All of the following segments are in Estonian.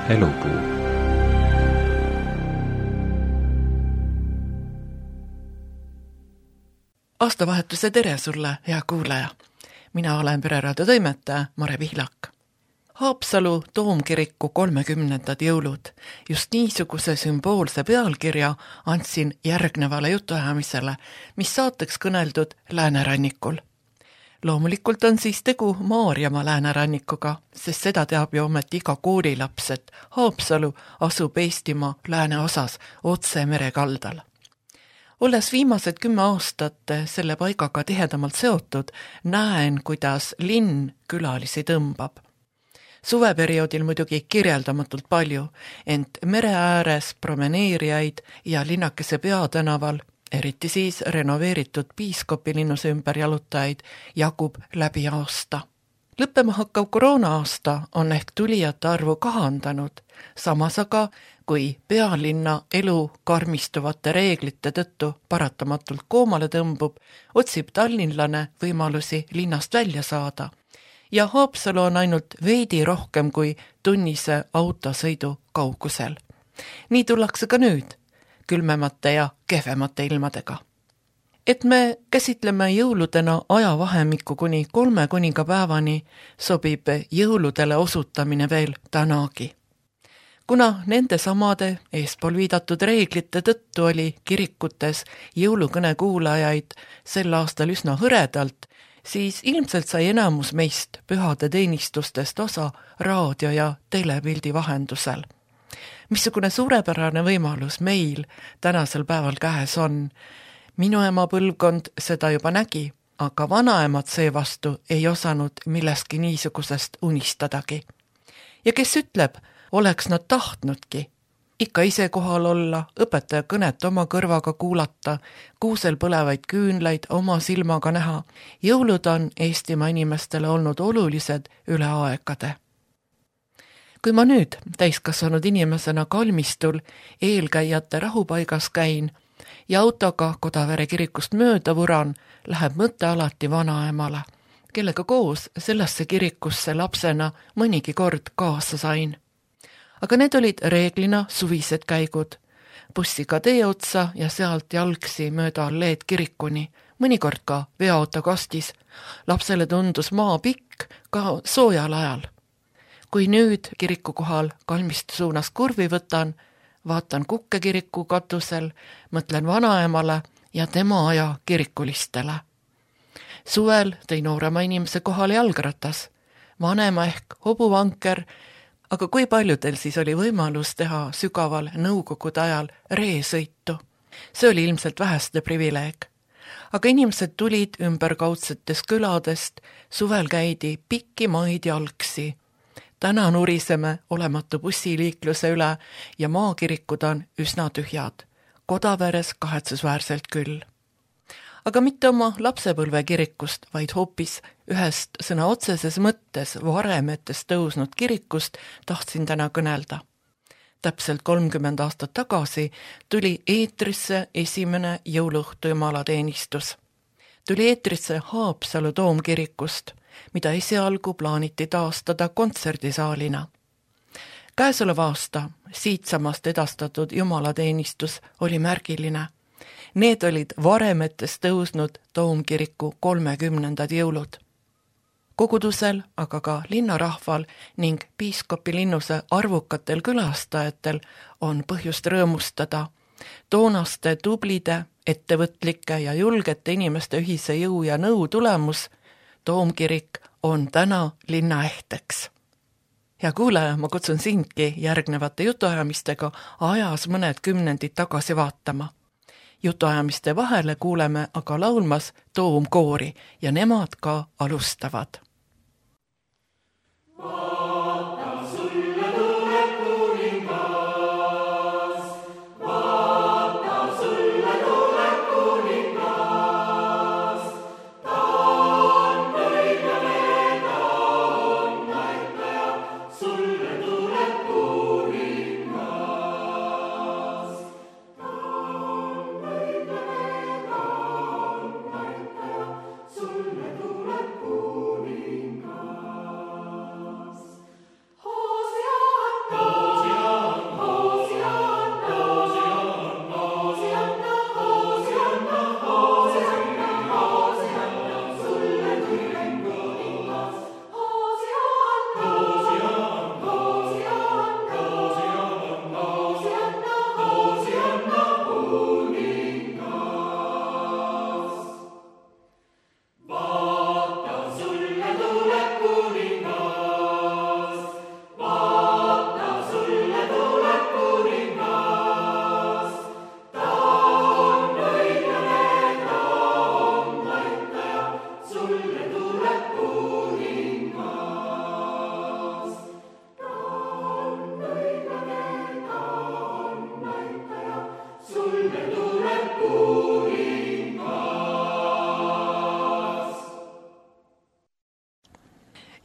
Elupuu. Aastavahetuse tere sulle, hea kuulaja! Mina olen Pereraadio toimetaja Mare Pihlak. Haapsalu Toomkiriku 30. jõulud. Just niisuguse sümboolse pealkirja andsin järgnevale jutuajamisele, mis saateks kõneldud Läänerannikul. Loomulikult on siis tegu Maarjamaa Läänerannikuga, sest seda teab ju ometi iga koolilaps, et Haapsalu asub Eestimaa lääneosas otse merekaldal. Olles viimased 10 aastat selle paigaga tihedamalt seotud, näen, kuidas linn külalisi tõmbab. Suveperioodil muidugi kirjeldamatult palju, ent mere ääres promeneerijaid ja linnakese peatänaval, eriti siis renoveeritud Piiskopilinnuse ümber jalutajaid, jagub läbi aasta. Lõppema hakkav koroona-aasta on ehk tulijate arvu kahandanud, samas aga kui pealinna elu karmistuvate reeglite tõttu paratamatult koomale tõmbub, otsib tallinlane võimalusi linnast välja saada. Ja Haapsalu on ainult veidi rohkem kui tunnise autosõidu kaugusel. Nii tullakse ka nüüd, külmemate ja kehvemate ilmadega. Et me käsitleme jõuludena ajavahemikku kuni 3 kuningapäevani, sobib jõuludele osutamine veel tänagi. Kuna nende samade eespool viidatud reeglite tõttu oli kirikutes jõulukõne kuulajaid sel aastal üsna hõredalt, siis ilmselt sai enamus meist pühade teenistustest osa raadio- ja telepildi vahendusel. Missugune suurepärane võimalus meil tänasel päeval käes on. Minu ema põlvkond seda juba nägi, aga vanaemad seevastu ei osanud millestki niisugusest unistadagi. Ja kes ütleb, oleks nad tahtnudki ikka ise kohal olla, õpetaja kõnet oma kõrvaga kuulata, kuusel põlevaid küünlaid oma silmaga näha. Jõulud on Eestimaa inimestele olnud olulised üle aegade. Kui ma nüüd täiskasvanud inimesena kalmistul eelkäijate rahupaigas käin ja autoga Kodavere kirikust mööda vuran, läheb mõte alati vanaemale, kellega koos sellesse kirikusse lapsena mõnigi kord kaasa sain. Aga need olid reeglina suvised käigud, bussiga tee otsa ja sealt jalgsi mööda alleed kirikuni, mõnikord ka veoauto kastis. Lapsele tundus maa pikk ka soojal ajal. Kui nüüd kiriku kohal kalmistu suunas kurvi võtan, vaatan Kukke kiriku katusel, mõtlen vanaemale ja tema aja kirikulistele. Suvel tõi noorema inimese kohale jalgratas, vanema ehk hobuvanker, aga kui paljudel siis oli võimalus teha sügaval nõukogude ajal reesõitu? See oli ilmselt väheste privileeg. Aga inimesed tulid ümberkaudsetest küladest, suvel käidi pikki maid jalgsi. Täna nuriseme olematu bussiliikluse üle ja maakirikud on üsna tühjad. Kodaveres kahetsusväärselt küll. Aga mitte oma lapsepõlve kirikust, vaid hoopis ühest sõna otseses mõttes varemetest tõusnud kirikust tahtsin täna kõnelda. Täpselt 30 aastat tagasi tuli eetrisse esimene jõuluõhtu jumalateenistus. Tuli eetrisse Haapsalu Toomkirikust, mida esialgu plaaniti taastada kontserdisaalina. Käesoleva aasta siitsamast edastatud jumalateenistus oli märgiline. Need olid varemetest tõusnud Toomkiriku 30. jõulud. Kogudusel, aga ka linnarahval ning Piiskopilinnuse arvukatel külastajatel on põhjust rõõmustada. Toonaste tublide, ettevõtlike ja julgete inimeste ühise jõu ja nõu tulemus, Toomkirik on täna linna ehteks. Ja kuulaja, ma kutsun sindki järgnevate jutuajamistega ajas mõned kümnendid tagasi vaatama. Jutuajamiste vahele kuuleme aga laulmas Toomkoori ja nemad ka alustavad.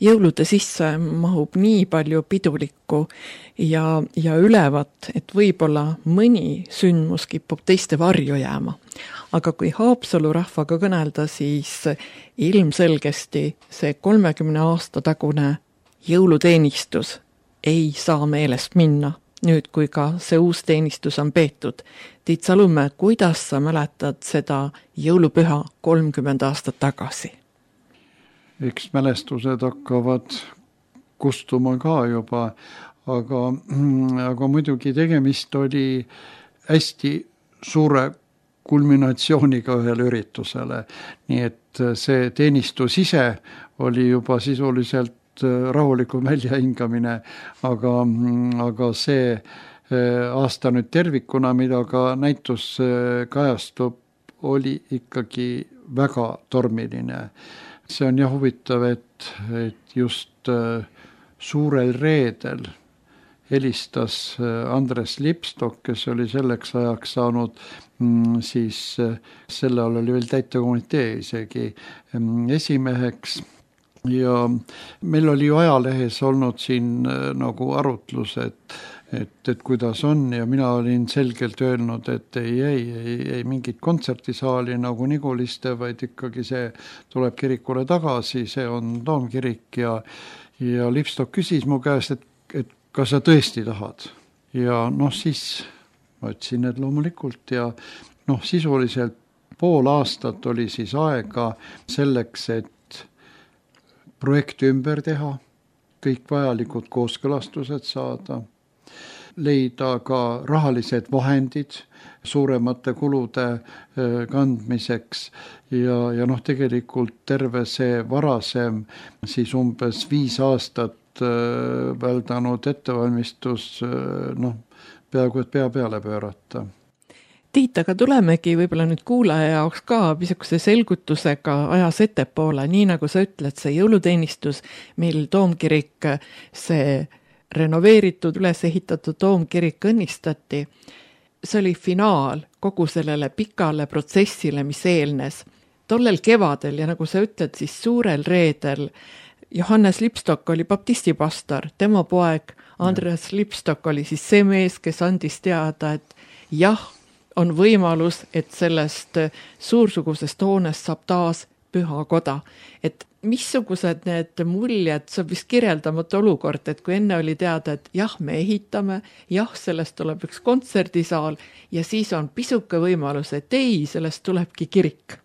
jõulude sisse mahub nii palju pidulikku ja ülevat, et võib-olla mõni sündmus kipub teiste varju jääma. Aga kui Haapsalu rahvaga kõnelda, siis ilmselgesti see 30 aasta tagune jõuluteenistus ei saa meelest minna, nüüd kui ka see uus teenistus on peetud. Tiit Salumäe, kuidas sa mäletad seda jõulupüha 30 aastat tagasi? Eks mälestused hakkavad kustuma ka juba, aga muidugi tegemist oli hästi suure kulminatsiooniga ühel üritusele. Nii et see teenistus ise oli juba sisuliselt rahulikum väljahingamine, aga see aasta nüüd tervikuna, mida ka näitus kajastub, oli ikkagi väga tormiline. See on jah huvitav, et just suurel reedel helistas Andres Lipstok, kes oli selleks ajaks saanud, siis selle all oli veel täitekomitee isegi esimeheks. Ja meil oli ju ajalehes olnud siin nagu arutlus, et kuidas on, ja mina olin selgelt öelnud, et ei mingit kontsertisaali nagu Niguliste, vaid ikkagi see tuleb kirikule tagasi, see on Toomkirik ja Lipstok küsis mu käest, et kas sa tõesti tahad? Ja siis ma ütlesin, et loomulikult, ja sisuliselt pool aastat oli siis aega selleks, et projekti ümber teha, kõik vajalikud kooskõlastused saada, leida ka rahalised vahendid suuremate kulude kandmiseks ja tegelikult terve see varasem siis umbes 5 aastat väldanud ettevalmistus peaaegu et pea peale pöörata. Tiit, aga tulemegi võib-olla nüüd kuulaja jaoks ka pisukese selgutusega ajas ettepoole, nii nagu sa ütled, see jõuluteenistus, mil Toomkirik, see renoveeritud, üles ehitatud Toomkirik õnnistati, see oli finaal kogu sellele pikale protsessile, mis eelnes. Tollel kevadel ja nagu sa ütled, siis suurel reedel Johannes Lipstok oli baptistipastor, tema poeg Andres Lipstok oli siis see mees, kes andis teada, et jah, on võimalus, et sellest suursugusest hoonest saab taas pühakoda. Et missugused need muljed, see on vist kirjeldamatu olukord, et kui enne oli teada, et jah, me ehitame, jah, sellest tuleb üks kontserdisaal ja siis on pisuke võimalus, et ei, sellest tulebki kirik.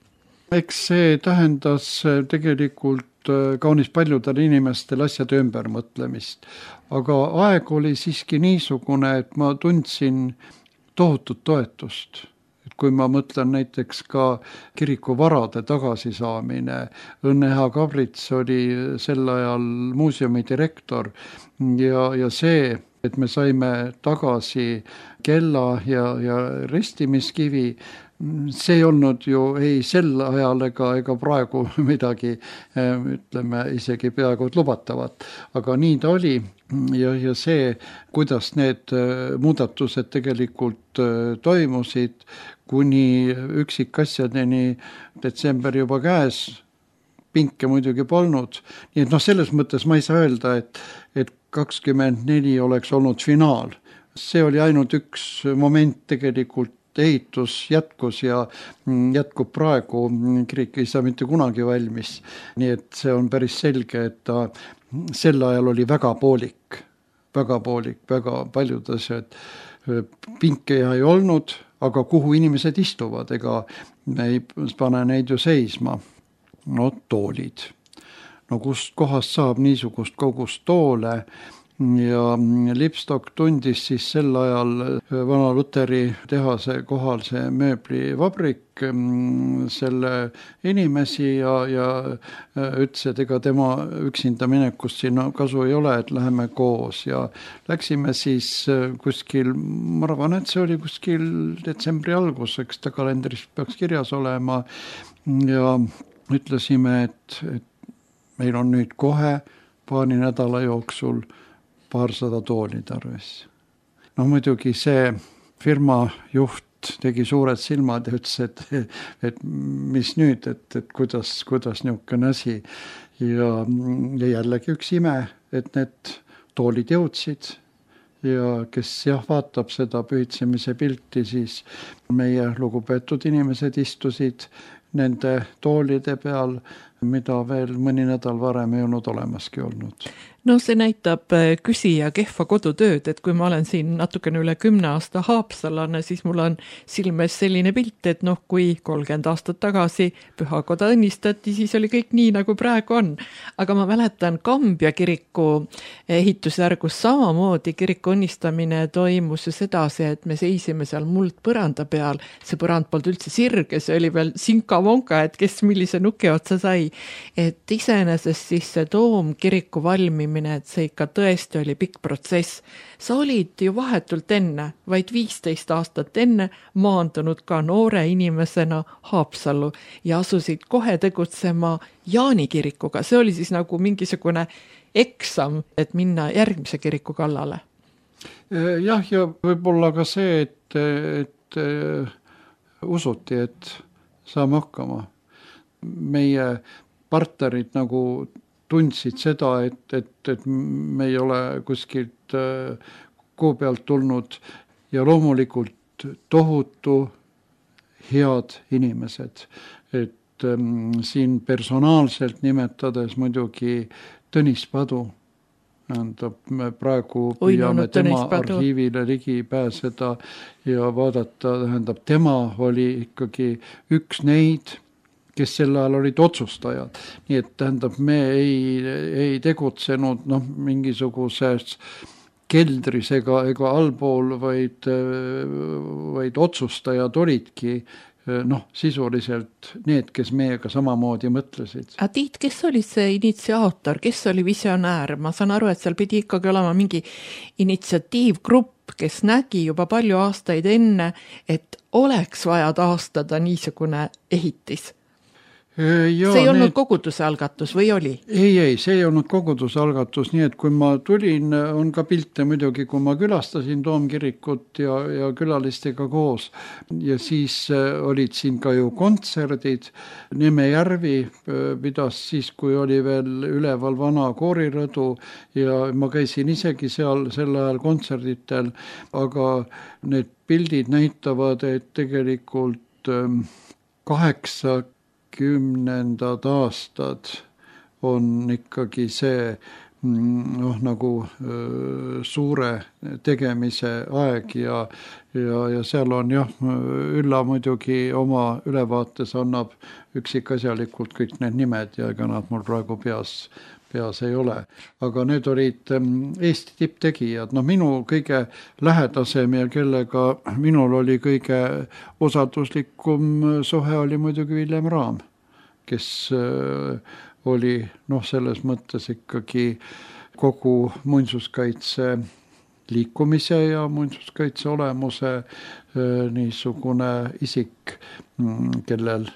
Eks see tähendas tegelikult kaunis paljudel inimestel asjade ümbermõtlemist, aga aeg oli siiski niisugune, et ma tundsin tohutut toetust. Et kui ma mõtlen näiteks ka kiriku varade tagasisaamine, Õnne-Eha Kabrits oli sel ajal muuseumi direktor ja see, et me saime tagasi kella ja ristimiskivi, see ei olnud ju ei sel ajal ega praegu midagi, ütleme, isegi peaaegu lubatavat, aga nii ta oli. Ja see, kuidas need muudatused tegelikult toimusid, kuni üksikasjadeni detsember juba käes, pinke muidugi polnud. Nii et selles mõttes ma ei saa öelda, et 24 oleks olnud finaal. See oli ainult üks moment tegelikult, ehitus jätkus ja jätkub praegu, kirik ei saa mitte kunagi valmis. Nii et see on päris selge, et ta sel ajal oli väga poolik, väga paljud asjad. Pinke ei olnud, aga kuhu inimesed istuvad, ega me ei pane neid ju seisma. Toolid. Kust kohast saab niisugust kogust toole? Ja Lipstok tundis siis sel ajal Vana Luteri tehase kohal see mööblivabrik selle inimesi ja ütles, et ega tema üksinda minekust siin kasu ei ole, et läheme koos ja läksime siis kuskil, ma arvan, et see oli kuskil detsembri alguseks, ta kalendris peaks kirjas olema ja ütlesime, et meil on nüüd kohe paari nädala jooksul 200 tooli tarvis. Muidugi see firma juht tegi suured silmad ja ütles, et mis nüüd, et kuidas niisugune asi. Ja jällegi üks ime, et need toolid jõudsid ja kes vaatab seda pühitsemise pilti, siis meie lugupeetud inimesed istusid nende toolide peal, mida veel mõni nädal varem ei olnud olemaski olnud. No see näitab küsija kehva kodutööd, et kui ma olen siin natukene üle 10 aasta haapsalane, siis mul on silmes selline pilt, et kui 30 aastat tagasi pühakoda õnnistati, siis oli kõik nii, nagu praegu on. Aga ma mäletan Kambja kiriku ehitusjärgus samamoodi kiriku õnnistamine toimus ju sedasi, et me seisime seal muldpõranda peal, see põrand polnud üldse sirge, see oli veel sinka-vonka, et kes millise nuki otsa sai. Et iseenesest siis see toomkiriku valmimine, et see ikka tõesti oli pikk protsess. Sa olid ju vahetult enne, vaid 15 aastat enne maandunud ka noore inimesena Haapsallu ja asusid kohe tegutsema Jaani kirikuga. See oli siis nagu mingisugune eksam, et minna järgmise kiriku kallale. Jah, ja võib-olla ka see, et usuti, et saame hakkama. Meie partnerid nagu tundsid seda, et me ei ole kuskilt kuu pealt tulnud ja loomulikult tohutu head inimesed. Et siin personaalselt nimetades muidugi Tõnis Padu, me praegu püüame tema arhiivile ligi pääseda ja vaadata, tema oli ikkagi üks neid, kes sel ajal olid otsustajad. Nii et me ei tegutsenud mingisuguses keldris ega allpool, vaid otsustajad olidki sisuliselt need, kes meiega samamoodi mõtlesid. A Tiit, kes oli see initsiaator, kes oli visionäär? Ma saan aru, et seal pidi ikkagi olema mingi initsiatiivgrupp, kes nägi juba palju aastaid enne, et oleks vaja taastada niisugune ehitis. Ja, see ei olnud koguduse algatus või oli? Ei, see ei olnud koguduse algatus, nii et kui ma tulin, on ka pilte muidugi, kui ma külastasin toomkirikut ja külalistega koos ja siis olid siin ka ju kontserdid. Nemejärvi pidas siis, kui oli veel üleval vana koorirõdu ja ma käisin isegi seal sel ajal kontserditel, aga need pildid näitavad, et tegelikult 80 aastad on ikkagi see nagu suure tegemise aeg ja seal on Ülla muidugi oma ülevaates annab üksikasjalikult kõik need nimed ja ega nad mul praegu peas ei ole. Aga need olid Eesti tipptegijad. Minu kõige lähedasem ja kellega minul oli kõige usalduslikum suhe oli muidugi Villem Raam, kes oli selles mõttes ikkagi kogu muinsuskaitse liikumise ja muinsuskaitse olemuse niisugune isik, kellel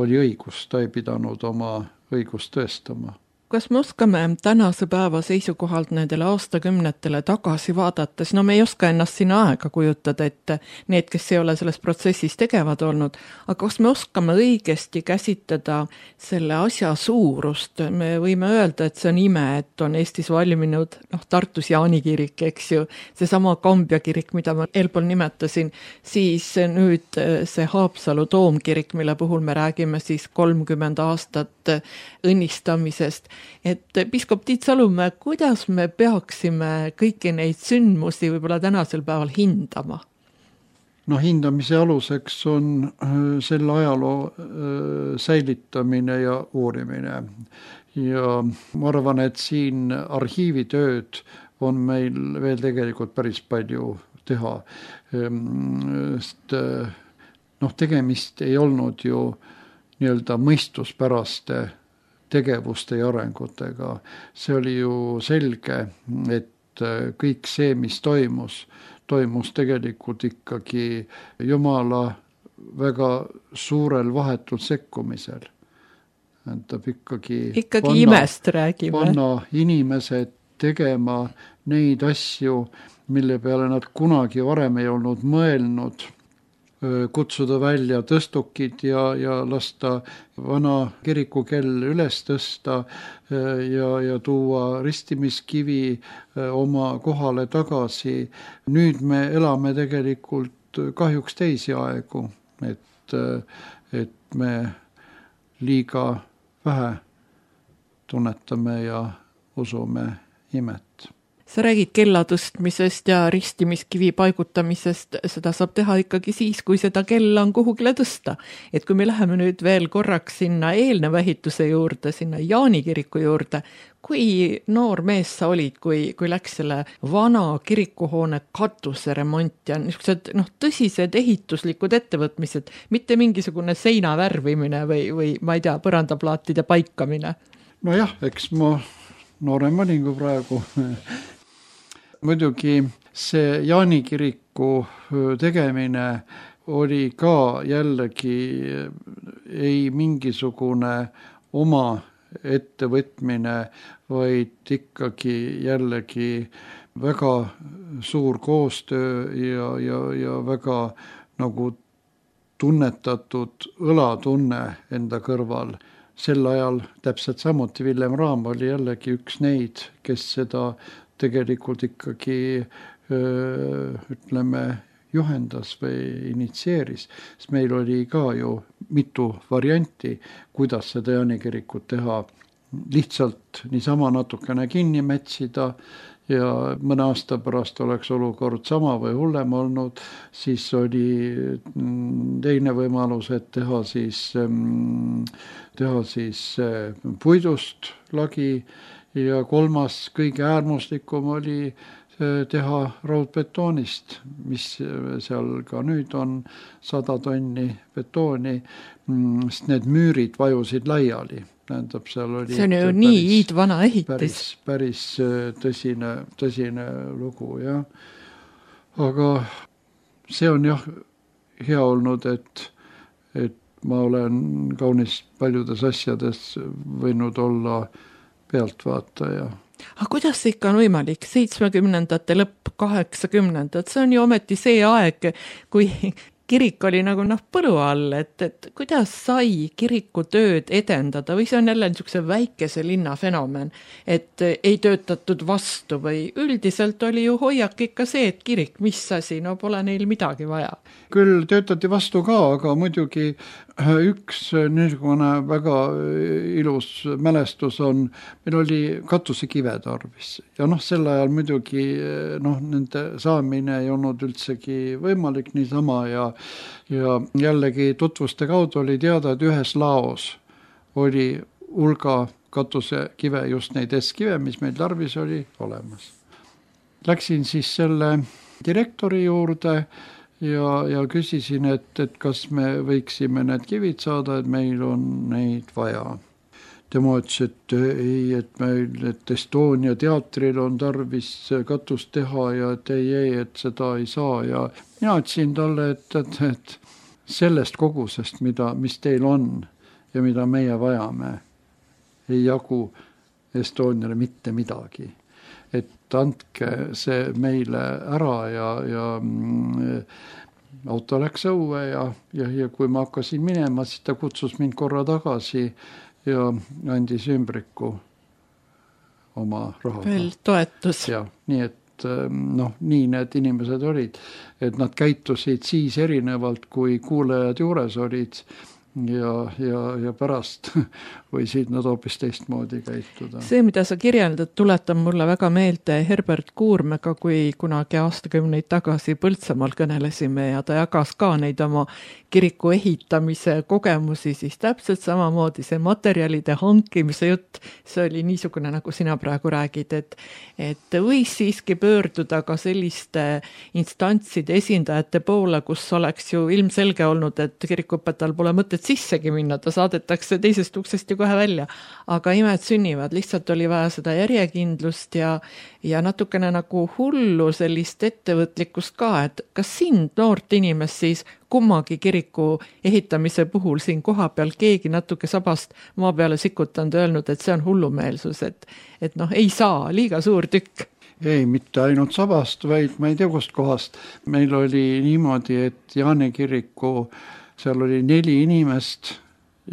oli õigus, ta ei pidanud oma õigust tõestama. Kas me oskame tänase päeva seisukohalt nendele aastakümnetele tagasi vaadates, me ei oska ennast sinna aega kujutada, et need, kes ei ole selles protsessis tegevad olnud, aga kas me oskame õigesti käsitleda selle asja suurust? Me võime öelda, et see on ime, et on Eestis valminud Tartus Jaani kirik, eks ju, seesama Kambja kirik, mida ma eelpool nimetasin, siis nüüd see Haapsalu toomkirik, mille puhul me räägime siis 30 aastat õnnistamisest. Et piiskop Tiit Salumäe, kuidas me peaksime kõiki neid sündmusi võib-olla tänasel päeval hindama? Hindamise aluseks on selle ajaloo säilitamine ja uurimine. Ja ma arvan, et siin arhiivitööd on meil veel tegelikult päris palju teha. Tegemist ei olnud ju nii-öelda mõistuspäraste tegevuste ja arengutega. See oli ju selge, et kõik see, mis toimus tegelikult ikkagi Jumala väga suurel vahetul sekkumisel. Tähendab ikkagi imest räägime. Panna inimesed tegema neid asju, mille peale nad kunagi varem ei olnud mõelnud. kutsuda välja tõstukid ja lasta vana kirikukell üles tõsta ja tuua ristimiskivi oma kohale tagasi. Nüüd me elame tegelikult kahjuks teisi aegu, et me liiga vähe tunnetame ja usume imet. Sa räägid kella tõstmisest ja ristimiskivi paigutamisest, seda saab teha ikkagi siis, kui seda kella on kuhugile tõsta. Et kui me läheme nüüd veel korraks sinna eelneva ehituse juurde, sinna Jaani kiriku juurde, kui noor mees sa olid, kui läks selle vana kirikuhoone katuse remont ja niisugused tõsised ehituslikud ettevõtmised, mitte mingisugune seina värvimine või ma ei tea, põrandaplaatide paikamine? Nojah, eks ma noorem olin kui praegu. Muidugi see Jaani kiriku tegemine oli ka jällegi ei mingisugune oma ettevõtmine, vaid ikkagi jällegi väga suur koostöö ja väga nagu tunnetatud õlatunne enda kõrval. Sel ajal täpselt samuti Villem Raam oli jällegi üks neid, kes seda tegelikult ikkagi ütleme juhendas või initsieeris, sest meil oli ka ju mitu varianti, kuidas seda Jaani kirikut teha. Lihtsalt niisama natukene kinni metsida ja mõne aasta pärast oleks olukord sama või hullem olnud, siis oli teine võimalus, et teha siis puidust lagi ja kolmas kõige äärmuslikum oli teha raudbetoonist, mis seal ka nüüd on 100 tonni betooni, sest need müürid vajusid laiali. Tähendab, seal oli see on ju nii iidvana ehitis. Päris tõsine lugu, jah. Aga see on jah hea olnud, et ma olen kaunis paljudes asjades võinud olla pealtvaataja. Aga kuidas see ikka on võimalik? 70-ndate lõpp, 80-ndad, see on ju ometi see aeg, kui kirik oli nagu põlu all, et kuidas sai kiriku tööd edendada või see on jälle niisuguse väikese linna fenomen, et ei töötatud vastu või üldiselt oli ju hoiak ikka see, et kirik, mis asi, pole neil midagi vaja. Küll töötati vastu ka, aga muidugi üks niisugune väga ilus mälestus on, meil oli katusekive tarvis ja sel ajal muidugi nende saamine ei olnud üldsegi võimalik niisama ja jällegi tutvuste kaudu oli teada, et ühes laos oli hulga katusekive, just neid S-kive, mis meil tarvis oli olemas. Läksin siis selle direktori juurde ja küsisin, et kas me võiksime need kivid saada, et meil on neid vaja. Tema ütles, et ei, et Estonia teatril on tarvis katust teha ja et ei, et seda ei saa ja mina ütlesin talle, et sellest kogusest, mis teil on ja mida meie vajame, ei jagu Estoniale mitte midagi. Et andke see meile ära ja auto läks õue ja kui ma hakkasin minema, siis ta kutsus mind korra tagasi ja andis ümbriku oma rahaga. Veel toetus. Ja, nii et nii need inimesed olid, et nad käitusid siis erinevalt, kui kuulajad juures olid ja pärast võisid nad hoopis teistmoodi käituda. See, mida sa kirjeldad, tuletab mulle väga meelde Herbert Kuurmega, kui kunagi aastakümneid tagasi Põltsamaal kõnelesime ja ta jagas ka neid oma kiriku ehitamise kogemusi, siis täpselt samamoodi see materjalide hankimise jutt, see oli niisugune, nagu sina praegu räägid, et võis siiski pöörduda ka selliste instantside esindajate poole, kus oleks ju ilmselge olnud, et kirikuõpetajal pole mõtet sissegi minna, ta saadetakse teisest uksest ju kohe välja. Aga imed sünnivad, lihtsalt oli vaja seda järjekindlust ja natukene nagu hullu sellist ettevõtlikkust ka, et kas sind noort inimest siis kummagi kiriku ehitamise puhul siin koha peal keegi natuke sabast maa peale sikutanud öelnud, et see on hullumeelsus, et ei saa, liiga suur tükk. Ei, mitte ainult Sabast, vaid ma ei tea kust kohast. Meil oli niimoodi, et Jaani kiriku, seal oli 4 inimest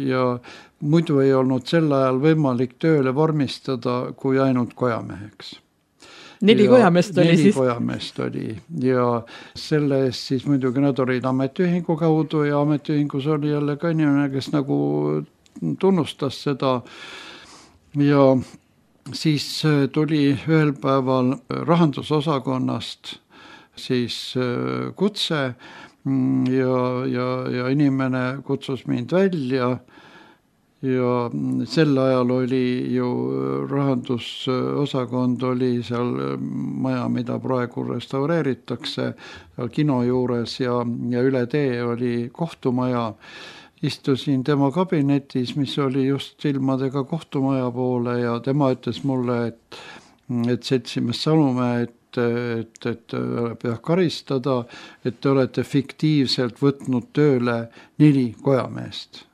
ja muidu ei olnud sel ajal võimalik tööle vormistada kui ainult kojameheks. 4 kojameest oli 4 siis? 4 kojameest oli ja selle eest siis muidugi nad olid ametiühingu kaudu ja ametiühingus oli jälle ka inimene, kes nagu tunnustas seda ja siis tuli ühel päeval rahandusosakonnast siis kutse ja inimene kutsus mind välja ja sel ajal oli ju rahandusosakond oli seal maja, mida praegu restaureeritakse, seal kino juures ja üle tee oli kohtumaja. Istusin tema kabinetis, mis oli just silmadega kohtumaja poole ja tema ütles mulle, et seltsimees Salumäe, et peab karistada, et te olete fiktiivselt võtnud tööle 4 kojameest.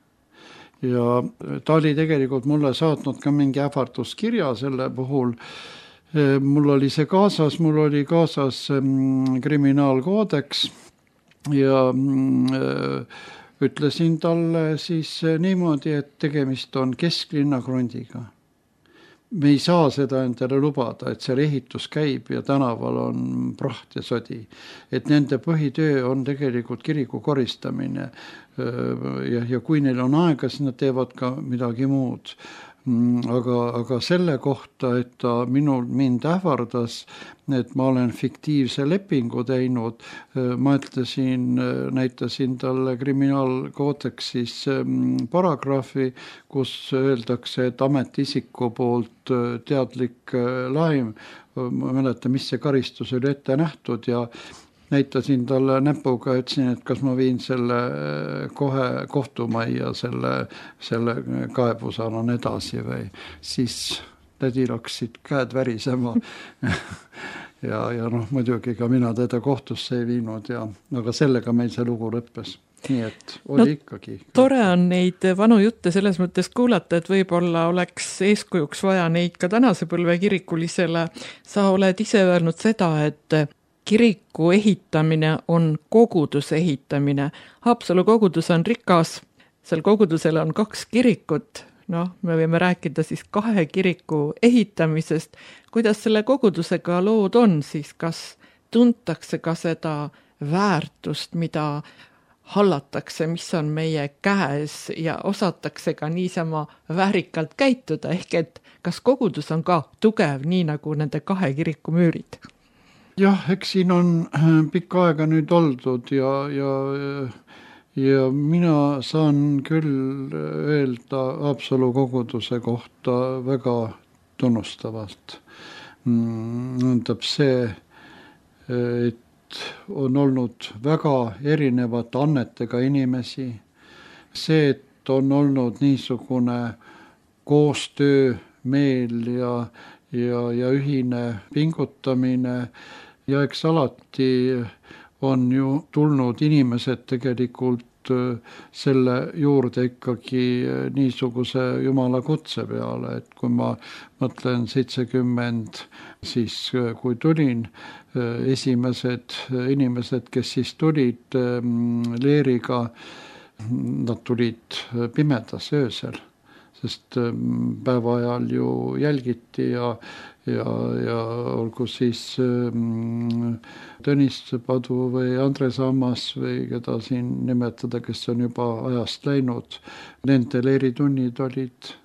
Ja ta oli tegelikult mulle saatnud ka mingi ähvarduskirja selle puhul. Mul oli see kaasas, mul oli kaasas kriminaalkoodeks ja ütlesin talle siis niimoodi, et tegemist on kesklinna krundiga. Me ei saa seda endale lubada, et seal ehitus käib ja tänaval on praht ja sodi. Et nende põhitöö on tegelikult kiriku koristamine ja kui neil on aega, siis nad teevad ka midagi muud. Aga selle kohta, et ta mind ähvardas, et ma olen fiktiivse lepingu teinud, ma näitasin talle kriminaalkoodeksis paragrahvi, kus öeldakse, et ametiisiku poolt teadlik laim, ma mäletan, mis see karistus oli ette nähtud ja näitasin talle näpuga, ütlesin, et kas ma viin selle kohe kohtumajja, selle kaebuse annan edasi või siis tädil hakkasid käed värisema ja muidugi ka mina teda kohtusse ei viinud aga sellega meil see lugu lõppes. Nii et oli ikkagi. Tore on neid vanu jutte selles mõttes kuulata, et võib-olla oleks eeskujuks vaja neid ka tänase põlve kirikulisele. Sa oled ise öelnud seda, et kiriku ehitamine on koguduse ehitamine. Haapsalu kogudus on rikas, seal kogudusel on 2 kirikut, me võime rääkida siis 2 kiriku ehitamisest. Kuidas selle kogudusega lood on siis, kas tuntakse ka seda väärtust, mida hallatakse, mis on meie käes ja osatakse ka niisama väärikalt käituda, ehk et kas kogudus on ka tugev, nii nagu nende 2 kiriku müürid? Jah, eks siin on pikka aega nüüd oldud ja mina saan küll öelda Haapsalu koguduse kohta väga tunnustavalt. Tähendab see, et on olnud väga erinevate annetega inimesi. See, et on olnud niisugune koostöö meel ja ühine pingutamine ja eks alati on ju tulnud inimesed tegelikult selle juurde ikkagi niisuguse Jumala kutse peale, et kui ma mõtlen 70, siis kui tulin, esimesed inimesed, kes siis tulid leeriga, nad tulid pimedas öösel, sest päeva ajal ju jälgiti ja olgu siis Tõnis Padu või Andres Ammas või keda siin nimetada, kes on juba ajast läinud. Nende leeritunnid olid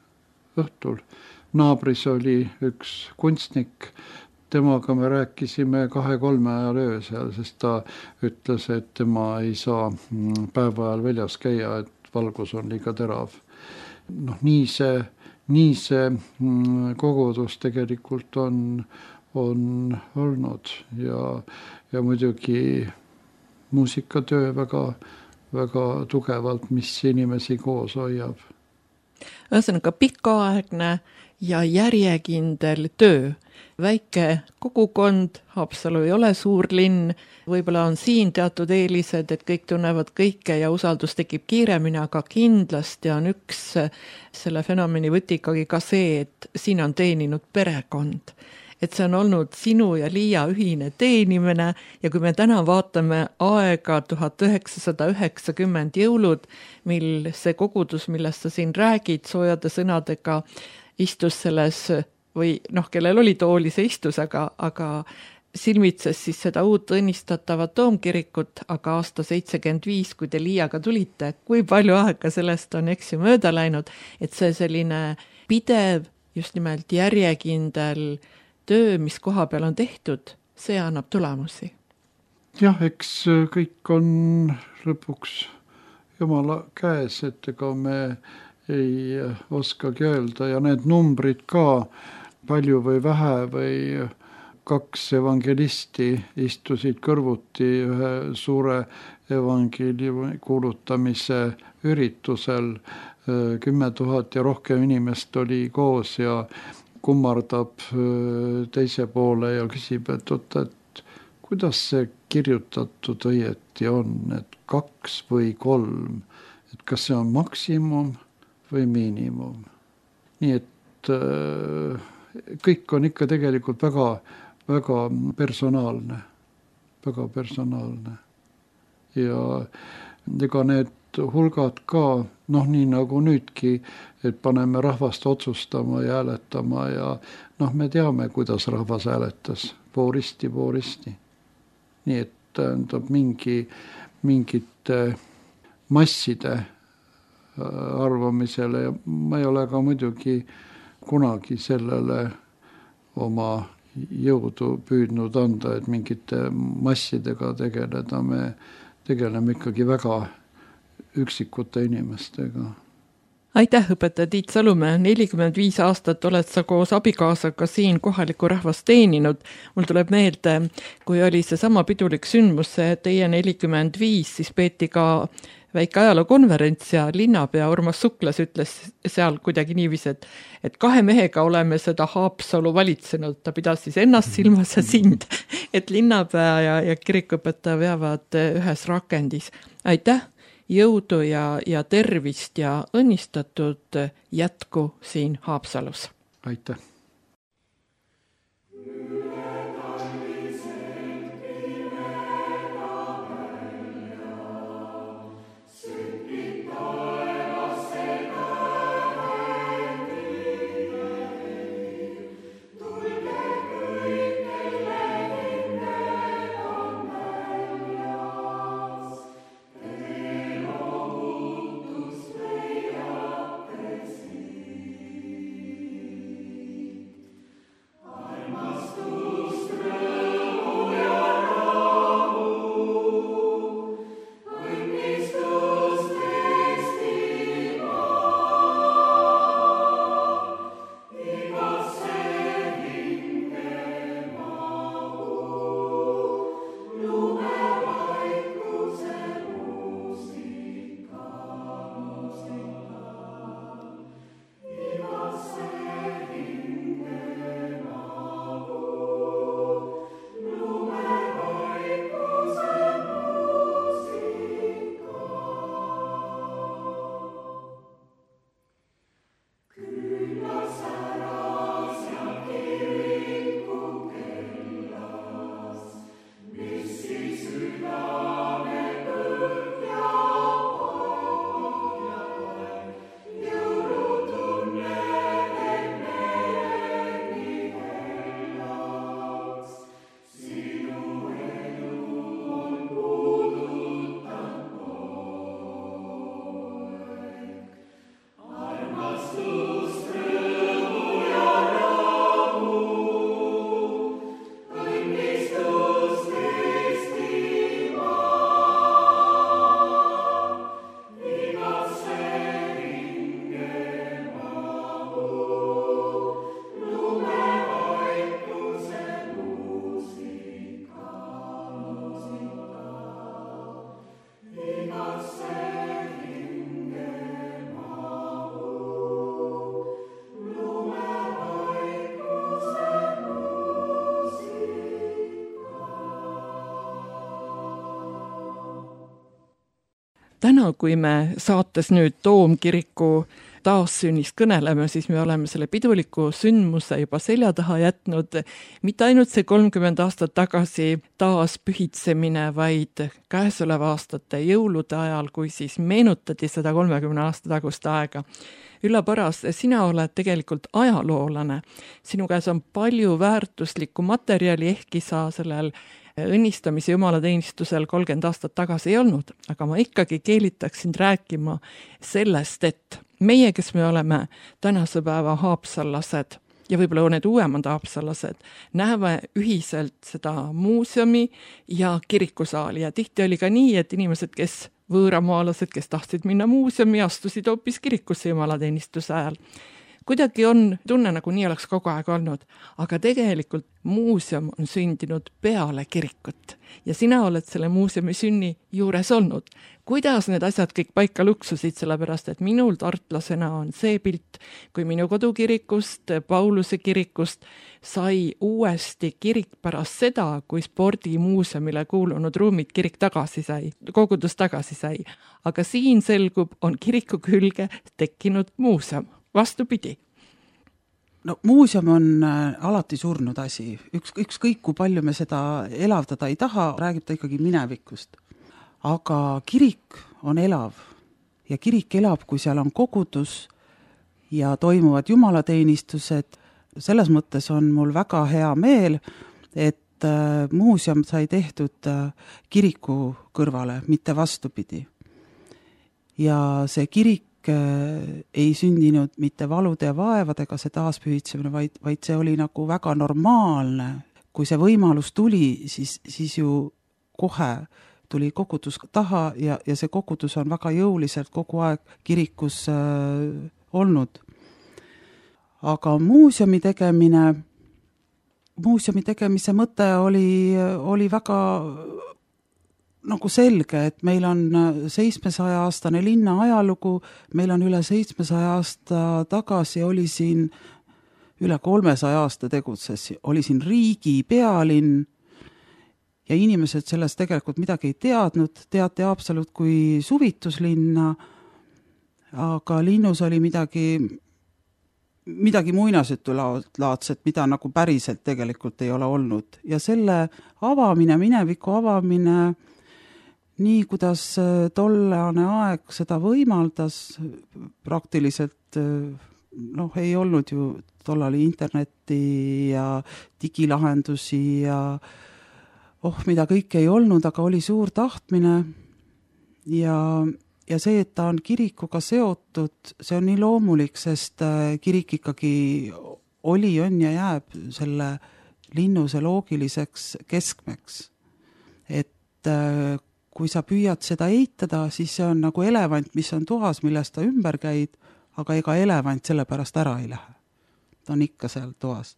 õhtul. Naabris oli üks kunstnik, temaga me rääkisime 2-3 ajal öösel, sest ta ütles, et tema ei saa päeva ajal väljas käia, et valgus on liiga terav. Nii see kogudus tegelikult on olnud ja muidugi muusikatöö väga tugevalt, mis inimesi koos hoiab. Ühesõnaga pikaaegne ja järjekindel töö. Väike kogukond, Haapsalu ei ole suur linn, võib-olla on siin teatud eelised, et kõik tunnevad kõike ja usaldus tekib kiiremini, aga kindlasti on üks selle fenomeni võti ikkagi ka see, et siin on teeninud perekond. et see on olnud sinu ja Liia ühine teenimine ja kui me täna vaatame aega 1990 jõulud, mil see kogudus, millest sa siin räägid, soojade sõnadega istus selles või kellel oli tooli, see istus, aga silmitses siis seda uut õnnistatavat toomkirikut, aga aasta 75, kui te Liiaga tulite, kui palju aega sellest on mööda läinud, et see selline pidev, just nimelt järjekindel töö, mis koha peal on tehtud, see annab tulemusi. Jah, eks kõik on lõpuks Jumala käes, et ega me ei oskagi öelda ja need numbrid ka, palju või vähe või 2 evangelisti istusid kõrvuti ühe suure evangeeliumi kuulutamise üritusel. 10 000 ja rohkem inimest oli koos ja kummardab teise poole ja küsib, et kuidas see kirjutatud õieti on, et 2 või 3, et kas see on maksimum või miinimum. Nii et kõik on ikka tegelikult väga personaalne. Ja ega need hulgad ka, nii nagu nüüdki, et paneme rahvast otsustama ja hääletama ja me teame, kuidas rahvas hääletas, pooristi. Nii et tähendab mingite masside arvamisele ja ma ei ole ka muidugi kunagi sellele oma jõudu püüdnud anda, et mingite massidega tegeleda, me tegeleme ikkagi väga üksikute inimestega. Aitäh, õpetaja Tiit Salumäe, 45 aastat oled sa koos abikaasaga siin kohalikku rahvast teeninud. Mul tuleb meelde, kui oli see sama pidulik sündmus, see teie 45, siis peeti ka väike ajalookonverents ja linnapea Urmas Suklas ütles seal kuidagi niiviisi, et 2 mehega oleme seda Haapsalu valitsenud, ta pidas siis ennast silmas ja sind, et linnapea ja kirikuõpetaja veavad ühes rakendis. Aitäh, jõudu ja tervist ja õnnistatud jätku siin Haapsalus. Aitäh. täna, kui me saates nüüd Toomkiriku taassünnist kõneleme, siis me oleme selle piduliku sündmuse juba selja taha jätnud. Mitte ainult see 30 aastat tagasi taas pühitsemine, vaid käesoleva aastate jõulude ajal, kui siis meenutati seda 30 aasta tagust aega. Ülla Paras, sina oled tegelikult ajaloolane. Sinu käes on palju väärtuslikku materjali, ehkki sa sellel õnnistamise jumalateenistusel 30 aastat tagasi ei olnud, aga ma ikkagi keelitaksin rääkima sellest, et meie, kes me oleme tänase päeva haapsallased ja võib-olla need uuemad haapsallased, näeme ühiselt seda muuseumi ja kirikusaali ja tihti oli ka nii, et inimesed, kes võõramaalased, kes tahtsid minna muuseumi, astusid hoopis kirikusse jumalateenistuse ajal. Kuidagi on tunne, nagu nii oleks kogu aeg olnud, aga tegelikult muuseum on sündinud peale kirikut ja sina oled selle muuseumi sünni juures olnud. Kuidas need asjad kõik paika luksusid, sellepärast et minul tartlasena on see pilt, kui minu kodukirikust, Pauluse kirikust sai uuesti kirik pärast seda, kui spordimuuseumile kuulunud ruumid kirik tagasi sai, kogudus tagasi sai. Aga siin selgub, on kiriku külge tekkinud muuseum. Vastupidi. No muuseum on alati surnud asi. Ükskõik kui palju me seda elavdada ei taha, räägib ta ikkagi minevikust. Aga kirik on elav ja kirik elab, kui seal on kogudus ja toimuvad jumalateenistused. Selles mõttes on mul väga hea meel, et muuseum sai tehtud kiriku kõrvale, mitte vastupidi. Ja see kirik ei sündinud mitte valude ja vaevadega see taaspühitsemine, vaid see oli nagu väga normaalne. Kui see võimalus tuli, siis ju kohe tuli kogudus taha ja see kogudus on väga jõuliselt kogu aeg kirikus olnud. Aga muuseumi tegemise mõte oli väga nagu selge, et meil on 700-aastane linna ajalugu, meil on üle 700 aasta tagasi, oli siin üle 300 aasta tegutses, oli siin riigi pealinn ja inimesed sellest tegelikult midagi ei teadnud, teati absoluut kui suvituslinna, aga linnus oli midagi muinasjutulaadset, mida nagu päriselt tegelikult ei ole olnud. Ja selle avamine, mineviku avamine, nii kuidas tollane aeg seda võimaldas, praktiliselt ei olnud ju tollal internetti ja digilahendusi ja mida kõik ei olnud, aga oli suur tahtmine ja see, et ta on kirikuga seotud, see on nii loomulik, sest kirik ikkagi on ja jääb selle linnuse loogiliseks keskmeks. Et kui sa püüad seda eitada, siis see on nagu elevant, mis on toas, millest ta ümber käid, aga ega elevant selle pärast ära ei lähe. Ta on ikka seal toas.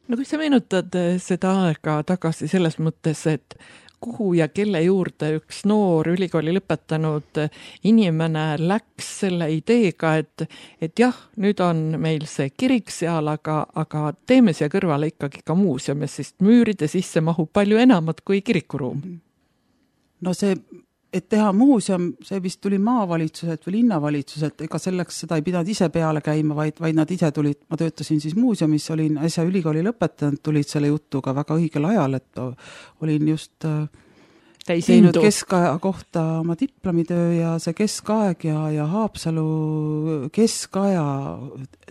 No kui sa meenutad seda aega tagasi selles mõttes, et kuhu ja kelle juurde üks noor ülikooli lõpetanud inimene läks selle ideega, et jah, nüüd on meil see kirik seal, aga teeme siia kõrvale ikkagi ka muuseum, sest müüride sisse mahub palju enamat kui kirikuruum. No see, et teha muuseum, see vist tuli maavalitsuselt või linnavalitsuselt, ega selleks seda ei pidanud ise peale käima, vaid nad ise tulid, ma töötasin siis muuseumis, olin äsja ülikooli lõpetanud, tulid selle jutuga väga õigel ajal, et olin just teinud keskaja kohta oma diplomitöö ja see keskaeg ja Haapsalu keskaja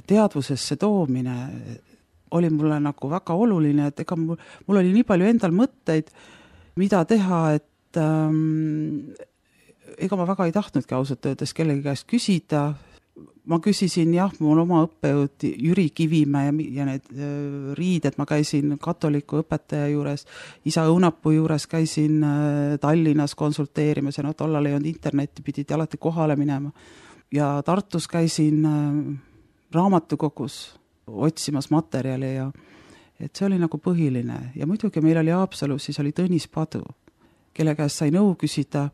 teadvusesse toomine oli mulle nagu väga oluline, et ega mul oli nii palju endal mõtteid, mida teha, et ega ma väga ei tahtnudki ausalt öeldes kellegi käest küsida. Ma küsisin, jah, mul oma õppejõud Jüri Kivimäe ja need riided, ma käisin katoliku õpetaja juures, isa Õunapuu juures käisin Tallinnas konsulteerimas ja tollal ei olnud internetti, pidid alati kohale minema. Ja Tartus käisin raamatukogus otsimas materjali ja et see oli nagu põhiline. Ja muidugi meil oli Haapsalus, siis oli Tõnis Padu, kelle käest sai nõu küsida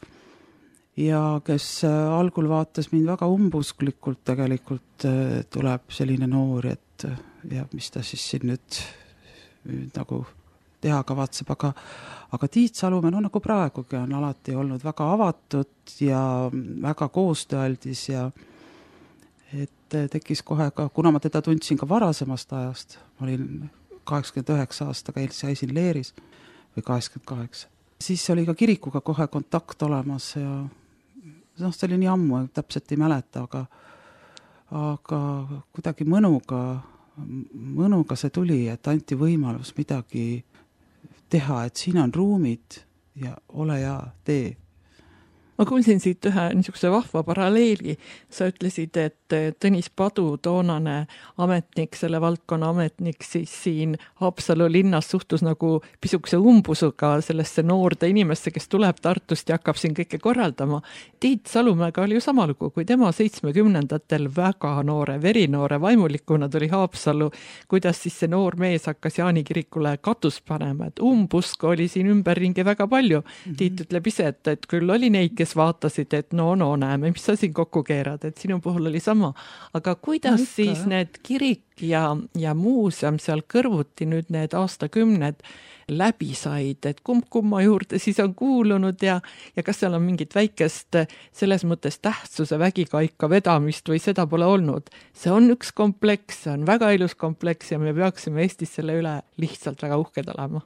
ja kes algul vaatas mind väga umbusklikult, tegelikult tuleb selline noor, et ja mis ta siis siin nüüd nagu teha kavatseb, aga Tiit Salumäe, no nagu praegugi on alati olnud väga avatud ja väga koostööaldis ja et tekkis kohe ka, kuna ma teda tundsin ka varasemast ajast, ma olin 89 aastaga, käisin Leeris või 88, siis oli ka kirikuga kohe kontakt olemas ja see oli nii ammu, täpselt ei mäleta, aga kuidagi mõnuga see tuli, et anti võimalus midagi teha, et siin on ruumid ja ole hea, tee. Ma kuulsin siit ühe niisuguse vahva paralleeli. Sa ütlesid, et Tõnis Padu, toonane ametnik, selle valdkonna ametnik, siis siin Haapsalu linnas suhtus nagu pisukese umbusuga sellesse noorde inimesse, kes tuleb Tartust ja hakkab siin kõike korraldama. Tiit Salumäega oli ju sama lugu, kui tema 70-ndatel väga noore, verinoore vaimulikuna tuli Haapsalu, kuidas siis see noor mees hakkas Jaani kirikule katus panema, et umbusku oli siin ümberringi väga palju. Tiit ütleb ise, et küll oli neid, kes vaatasid, et no näeme, mis sa siin kokku keerad, et sinu puhul oli sama. Aga kuidas siis need kirik ja muuseum seal kõrvuti nüüd need aastakümned läbi said, et kumma juurde siis on kuulunud ja kas seal on mingit väikest selles mõttes tähtsuse vägikaika vedamist või seda pole olnud? See on üks kompleks, see on väga ilus kompleks ja me peaksime Eestis selle üle lihtsalt väga uhked olema.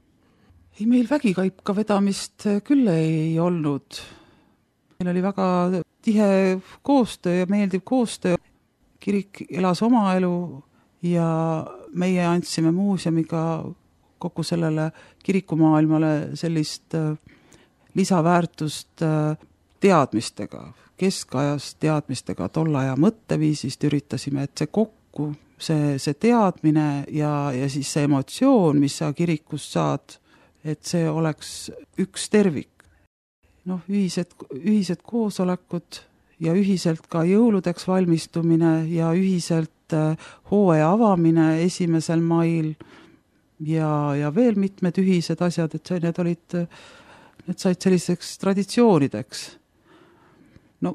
Ei, meil vägikaika vedamist küll ei olnud. Meil oli väga tihe koostöö ja meeldiv koostöö. Kirik elas oma elu ja meie andsime muuseumiga kogu sellele kirikumaailmale sellist lisaväärtust teadmistega, keskajast teadmistega, tolle aja mõtteviisist üritasime, et see kokku, see teadmine ja siis see emotsioon, mis sa kirikust saad, et see oleks üks tervik. Ühised koosolekud ja ühiselt ka jõuludeks valmistumine ja ühiselt hooaja avamine 1. mail ja veel mitmed ühised asjad, et need said selliseks traditsioonideks.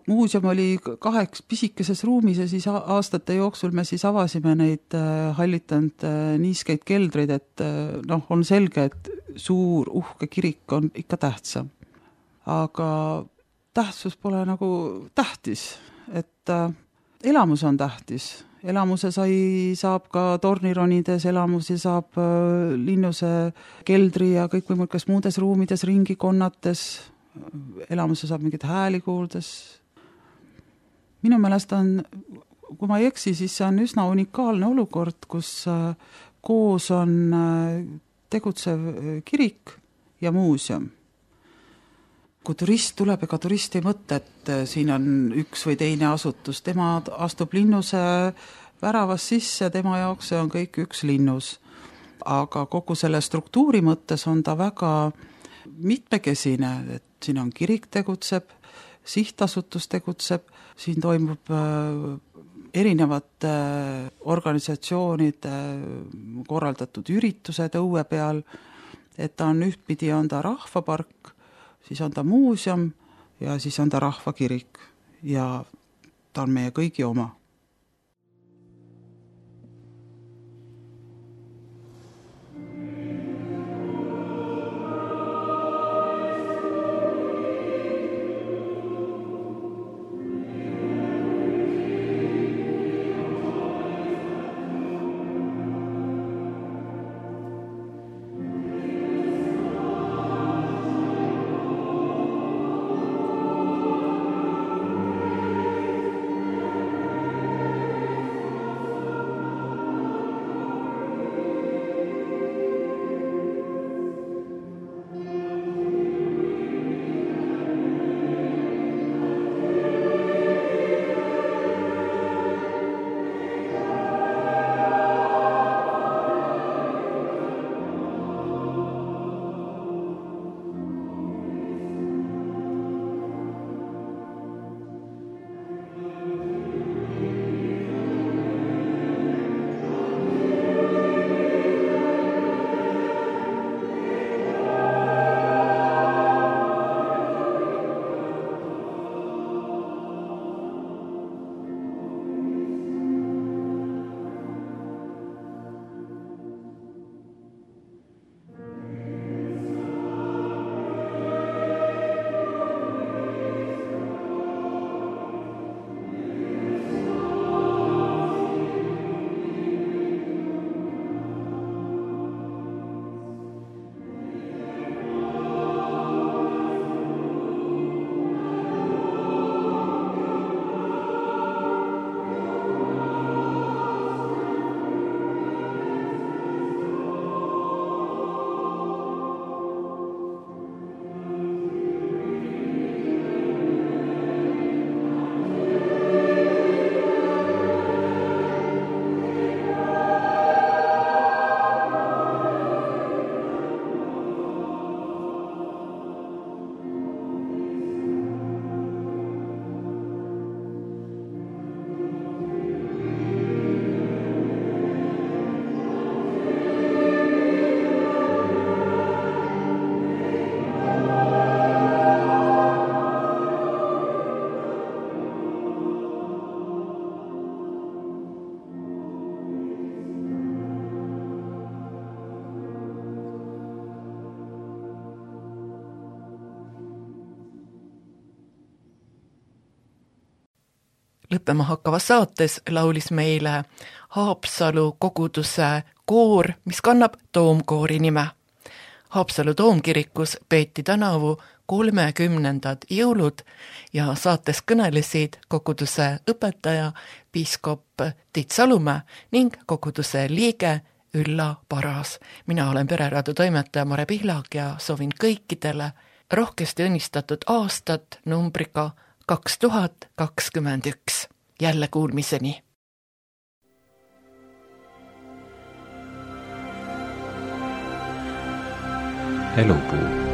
Muuseum oli 2 pisikeses ruumis ja siis aastate jooksul me siis avasime neid hallitanud niiskeid keldreid, et on selge, et suur uhke kirik on ikka tähtsam. Aga tähtsus pole nagu tähtis, et elamus on tähtis. Elamuse saab ka tornironides, elamusi saab linnuse keldri ja kõikvõimalikes muudes ruumides ringi konnates. Elamuse saab mingit hääli kuuldes. Minu meelest on, kui ma ei eksi, siis see on üsna unikaalne olukord, kus koos on tegutsev kirik ja muuseum. Kui turist tuleb, ega turist ei mõtle, et siin on üks või teine asutus. Tema astub linnuse väravas sisse, tema jaoks see on kõik üks linnus. Aga kogu selle struktuuri mõttes on ta väga mitmekesine, et siin on kirik tegutseb, sihtasutus tegutseb, siin toimub erinevate organisatsioonide korraldatud üritused õue peal, et ta on ühtpidi on ta rahvapark, siis on ta muuseum ja siis on ta rahvakirik ja ta on meie kõigi oma. lõppema hakkavas saates laulis meile Haapsalu koguduse koor, mis kannab toomkoori nime. Haapsalu toomkirikus peeti tänavu 30. jõulud ja saates kõnelesid koguduse õpetaja, piiskop Tiit Salumäe ning koguduse liige Ülla Paras. Mina olen Pereraadio toimetaja Mare Pihlak ja soovin kõikidele rohkesti õnnistatud aastat numbriga 2021. Jälle kuulmiseni! Elupuu